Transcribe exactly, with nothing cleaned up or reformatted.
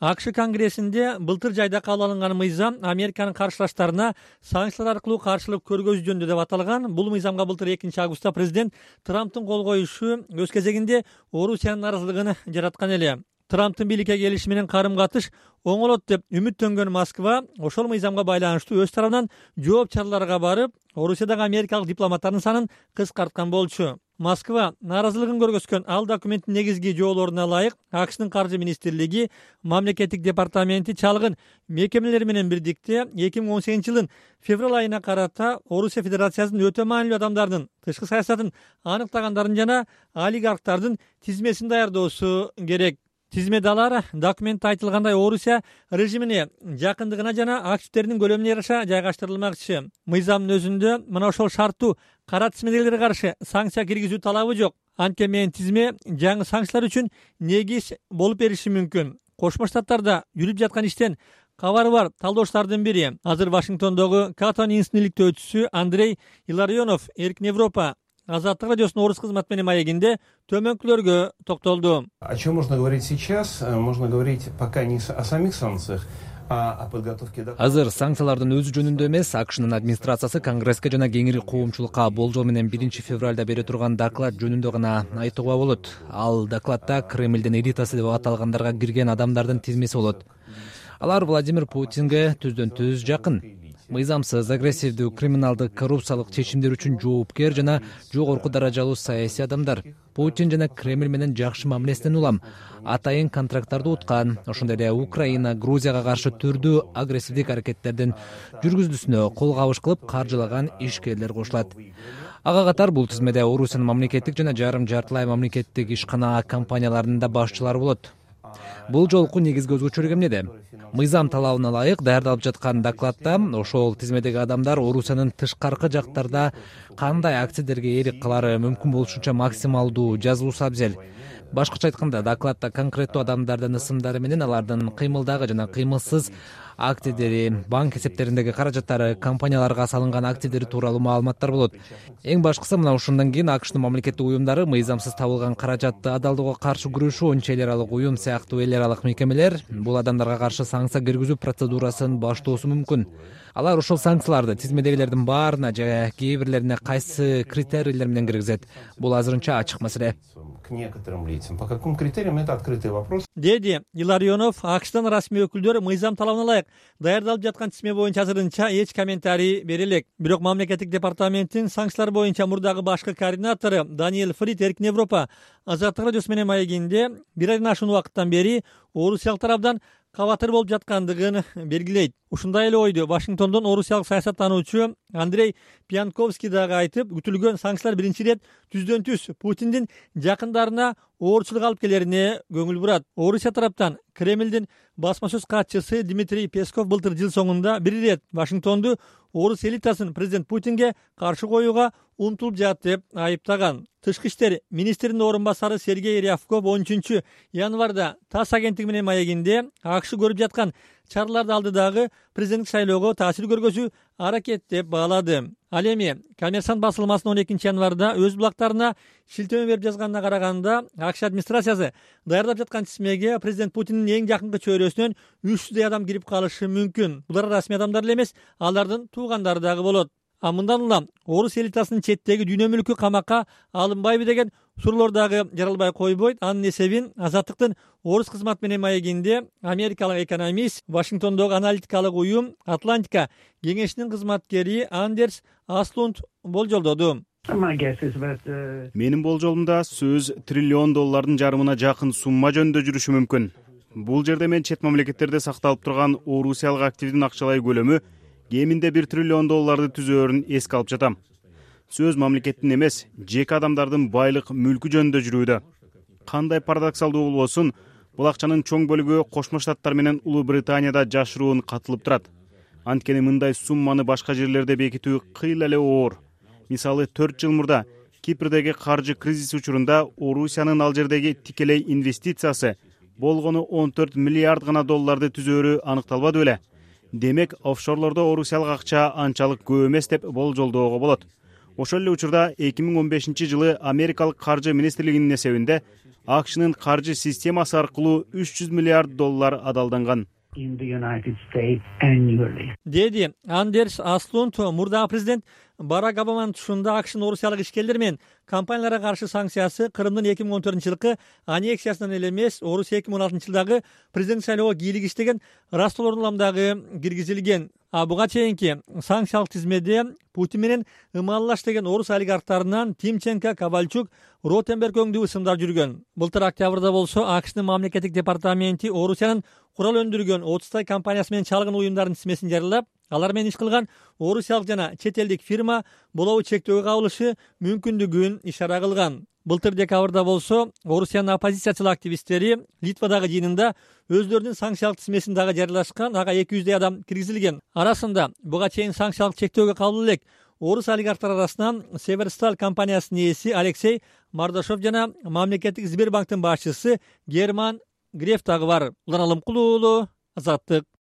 АКШ конгрессинде былтыр жайда кабыл алынган мыйзам Американын каршылаштарына санкциялар аркылуу каршылык көргөзүү жөнүндө деп аталган. Бул мыйзамга былтыр экинчи августта президент Трамптын кол коюшу өз кезегинде Орусиянын нааразылыгын жараткан эле. Трамптын бийликке келиши менен карым-катыш оңолот деп үмүттөнгөн Москва ошол мыйзамга байланыштуу өз тарабынан жооп чараларга барып, Орусиядагы америкалык дипломаттардын санын кыскарткан болчу. Москва нааразылыгын көргөзгөн ал документтин негизги жоолоруна ылайык АКШнын каржы министрлиги, мамлекеттик департаменти чалгын мекемелери менен бирдикте эки миң он сегизинчи жылдын февраль айына карата Орусия Федерациясынын өтө маанилүү адамдардын тышкы саясатын аныктагандардын жана олигархтардын тизмесин даярдоосу керек. Тизмеде алар документте айтылгандай Орусия режимине жакындыгына жана активдеринин көлөмүнө жараша жайгаштырылмакчы. Мыйзамдын өзүндө мына ошол шарттуу кара тизмедегилерге каршы санкция киргизүү талабы жок. Анткени менин тизме жаңы санкциялар үчүн негиз болуп бериши мүмкүн. Кошмо Штаттарда жүрүп жаткан иштен кабары бар талдоочулардын бири, азыр Вашингтондогу Катон институтунун Андрей Иларионов Эркин Европа Азаттык радиосунун орус кызматы менен маегинде төмөнкүлөргө токтолду. О чем можно говорить сейчас? Можно говорить пока не о самих санкциях, а о подготовке. Азыр санкциялардын өзү жөнүндө эмес, АКШнын администрациясы Конгресске жана кеңири коомчулукка болжол менен биринчи февралда бере турган доклад жөнүндө гана айтууга болот. Ал докладда Кремлдин элитасы деп аталгандарга кирген адамдардын тизмеси болот. Алар Владимир Путинге түздөн-түз жакын. Мыйзамсыз, агрессивдүү, криминалдык, коррупциялык чечимдер үчүн жоопкер жана жогорку даражалуу саясий адамдар. Путин жана Кремль менен жакшы мамилесинен улам. Атайын контракттарды уткан. Ошондой эле Украина, Грузияга каршы түрдүү агрессивдик аракеттердин жүргүзүлүүсүнө кол кабыш кылып каржылаган ишкерлер кошулат. Ага катар бул тизмеде Орусиянын мамлекеттик жана жарым жартылай мамлекеттик ишкана компанияларынын да башчылары болот. Бул жолку негизги өзгөчөлүк эмнеде? Мыйзам талабына ылайык даярдалып жаткан докладда ошол тизмедеги адамдар Орусиянын тышкаркы жактарда кандай активдерге ээлик кылары мүмкүн болушунча максималдуу жазылуусу абзел. Башкача айтканда, докладда конкреттүү адамдардын ысымдары менен алардын кыймылдагы жана кыймылсыз активдери, банк эсептериндеги каражаттары, компанияларга салынган активдери тууралуу маалыматтар болот. Эң башкысы мына ушундан кийин АКШнын мамлекеттик уюмдары мыйзамсыз табылган каражатты адалдоого каршы күрөшүү он эл аралык уюм сыяктуу эл аралык мекемелер бул адамдарга каршы санкция киргизүү процедурасын баштоосу мүмкүн. Алар ошол санкцияларды тизмедегилердин баарына же кээ бирлерине кайсы критерийлер менен киргизет? Бул азырынча ачык маселе. К некоторым лицам. По каким критериям — это открытый вопрос. Деди Иларионов, АКШтын расмий өкүлдөрү мыйзам талабына ылайык даярдалып жаткан тизме боюнча азырынча эч комментарий бере элек. Бирок мамлекеттик департаменттин санкциялар боюнча мурдагы башкы координатору Даниэль Фрид Эркин Европа Азаттык радиосу менен маегинде бир айдан ашуун убакыттан бери орусиялык тарабдан кабатыр болуп жаткандыгын белгилейт. Ушундай эле ойду Вашингтондон орусиялык саясаттануучу Андрей Пьянковский дагы айтып, күтүлгөн санкциялар биринчи ирет түздөн-түз Путиндин жакындарына оорчулук алып келерине көңүл бурат. Орусия тараптан Кремлдин басма сөз катчысы Дмитрий Песков былтыр жыл соңунда бир ирет Вашингтонду орус элитасын президент Путинге каршы коюуга умтулуп жатты деп айыптаган. Тышкы иштер министринин орун басары Сергей Рябков он үчүнчү январда ТАСС агенттиги менен маегинде АКШ көрүп жаткан чараларды алдыдагы президенттик шайлоого таасир көргөзүү аракет деп баалады. Ал эми Коммерсант басылмасынын он экинчи январда өз булактарына шилтеме берип жазганына караганда, АКШ администрациясы даярдап жаткан тизмеге президент Путиндин эң жакынкы чөйрөсүнөн үч жүздөй адам кирип калышы мүмкүн. Булар расмий адамдар эле эмес, алардын туугандары дагы болот. А мындан улам орус элитасынын четтеги дүйнө мүлкү камакка алынбайбы деген суроолор дагы жаралбай койбойт. Анын эсебин Азаттыктын орус кызматы менен маегинде америкалык экономист, Вашингтондогу аналитикалык уюм Атлантика кеңешинин кызматкери Андерс Аслунд болжолдоду. Менин болжолумда сөз триллион доллардын жарымына жакын сумма жөнүндө жүрүшү мүмкүн. Бул жерде мен чет мамлекеттерде сакталып турган орусиялык активдин акчалай көлөмү кеминде бир триллион долларды түзөөрүн эске алып жатам. Сөз мамлекеттин эмес, жеке адамдардын байлык мүлкү жөнүндө жүрүүдө. Кандай парадоксалдуу болбосун, бул акчанын чоң бөлүгү Кошмо Штаттар менен Улуу Британияда жашыруун катылып турат. Анткени мындай сумманы башка жерлерде бекитүү кыйла эле оор. Мисалы, төрт жыл мурда Кипрдеги каржы кризиси учурунда Орусиянын ал жердеги тикелей инвестициясы болгону он төрт миллиард гана долларды түзөөрү аныкталбады беле? Демек, офшорлордо орусиялык акча анчалык көп эмес деп болжолдоого болот. Ошол эле учурда эки миң он бешинчи жылы Америкалык каржы министрлигинин эсебинде акшнын каржы системасы аркылуу үч жүз миллиард доллар адалданган деди Андерс Аслунд. Мурдагы президент Барак Обаманын тушунда акшнын орусиялык ишкерлер менен компанияларга каршы санкциясы Крымдын эки миң он төртүнчү жылкы аннексиясынан эле эмес, Орусия эки миң он алтынчы жылдагы президент шайлоого кийлик иштеген Ростов Ордун дагы киргизилген. А буга чейинки санкциялык тизмеде Путин менен ымалылаш деген орус олигархтарынан Тимченко, Ковальчук, Ротенберг өңдүү ысымдар жүргөн. Былтыр октябрда болсо акшнын мамлекеттик департаменти Орусиянын курал өндүргөн отуздай компаниясы менен чалгын уюмдардын тизмесин жарыялап, алар менен иш кылган орусиялык жана чет элдик фирма болобу чектөөгө кабылышы мүмкүндүгүн ишара кылган. Былтыр декабрда болсо Орусиянын оппозициячылык активисттери Литвадагы жыйынында өздөрүнүн санкциялык тизмесин дагы жарыялашкан. Ага эки жүздөй адам киргизилген. Арасында буга чейин санкциялык чектөөгө кабыл элек орус олигархтар арасынан Северсталь компаниясынын ээси Алексей Мардашов жана мамлекеттик Сбербанктын башчысы Герман Греф дагы бар. Улан Алымкулуу, Азаттык.